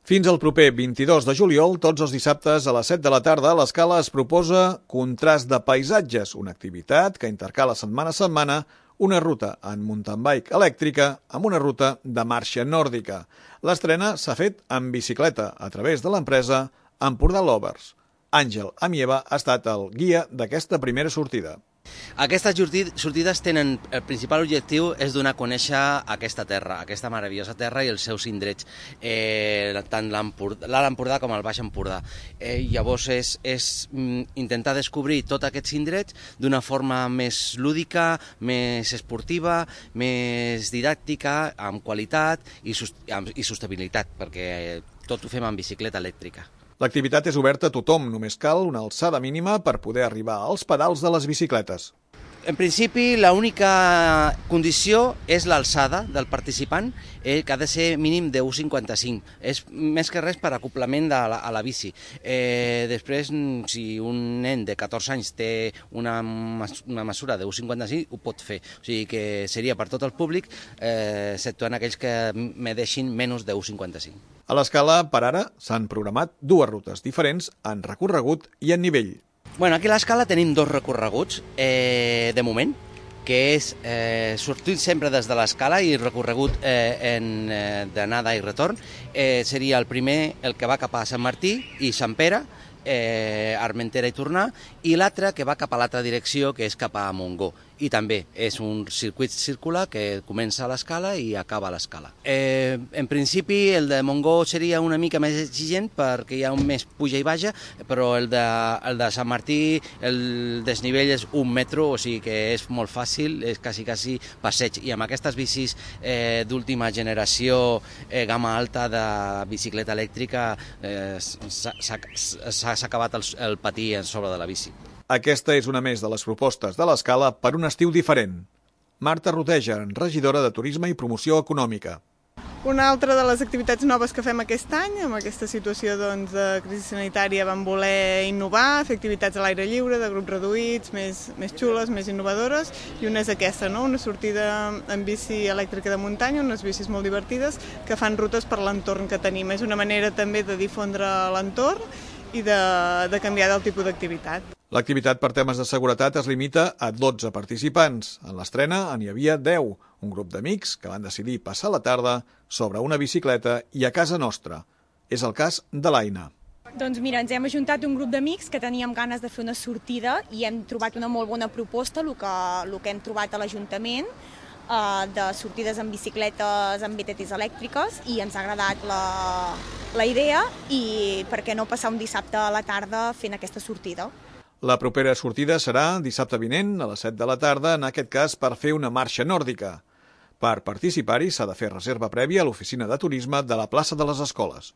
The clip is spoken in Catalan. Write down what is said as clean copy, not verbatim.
Fins al proper 22 de juliol, tots els dissabtes a les 7 de la tarda, l'Escala es proposa Contrast de Paisatges, una activitat que intercala setmana a setmana una ruta en mountain bike elèctrica amb una ruta de marxa nòrdica. L'estrena s'ha fet en bicicleta a través de l'empresa Empordà Lovers. Àngel Amieva ha estat el guia d'aquesta primera sortida. Aquestes sortides tenen, el principal objectiu és donar a conèixer aquesta terra, aquesta meravellosa terra i els seus indrets, tant l'Alt Empordà com el Baix Empordà. Llavors és intentar descobrir tots aquests indrets d'una forma més lúdica, més esportiva, més didàctica, amb qualitat i sostenibilitat, perquè tot ho fem en bicicleta elèctrica. L'activitat és oberta a tothom, només cal una alçada mínima per poder arribar als pedals de les bicicletes. En principi, l'única condició és l'alçada del participant, que ha de ser mínim de 1,55. És més que res per acoplament a la bici. Després, si un nen de 14 anys té una mesura de 1,55, ho pot fer. O sigui que seria per tot el públic, exceptuant aquells que medeixin menys de 1,55. A l'Escala, per ara, s'han programat dues rutes diferents en recorregut i en nivell. Bueno, aquí a l'Escala tenim dos recorreguts, de moment, que és sortir sempre des de l'Escala i recorregut d'anada i retorn. Seria el primer, el que va cap a Sant Martí i Sant Pere, Armentera i tornar, i l'altre que va cap a l'altra direcció, que és cap a Montgó. I també és un circuit circular que comença a l'Escala i acaba a l'Escala. En principi, el de Montgó seria una mica més exigent perquè hi ha més puja i baja, però el de Sant Martí, el desnivell és 1 metro, o sigui que és molt fàcil, és quasi passeig. I amb aquestes bicis d'última generació, gamma alta de bicicleta elèctrica, s'ha acabat el patí sobre de la bici. Aquesta és una més de les propostes de l'Escala per un estiu diferent. Marta Roteja, regidora de Turisme i Promoció Econòmica. Una altra de les activitats noves que fem aquest any, amb aquesta situació de crisi sanitària, vam voler innovar, fer activitats a l'aire lliure, de grups reduïts, més xules, més innovadores, i una és aquesta, no? Una sortida en bici elèctrica de muntanya, unes bicis molt divertides que fan rutes per l'entorn que tenim. És una manera també de difondre l'entorn i de canviar del tipus d'activitat. L'activitat per temes de seguretat es limita a 12 participants. En l'estrena n'hi havia 10, un grup d'amics que van decidir passar la tarda sobre una bicicleta i a casa nostra. És el cas de l'Aina. Doncs mira, ens hem ajuntat un grup d'amics que teníem ganes de fer una sortida i hem trobat una molt bona proposta, el que hem trobat a l'Ajuntament, de sortides en bicicletes amb BTTs elèctriques, i ens ha agradat la idea, i per què no passar un dissabte a la tarda fent aquesta sortida. La propera sortida serà dissabte vinent a les 7 de la tarda, en aquest cas per fer una marxa nòrdica. Per participar-hi s'ha de fer reserva prèvia a l'oficina de turisme de la plaça de les Escoles.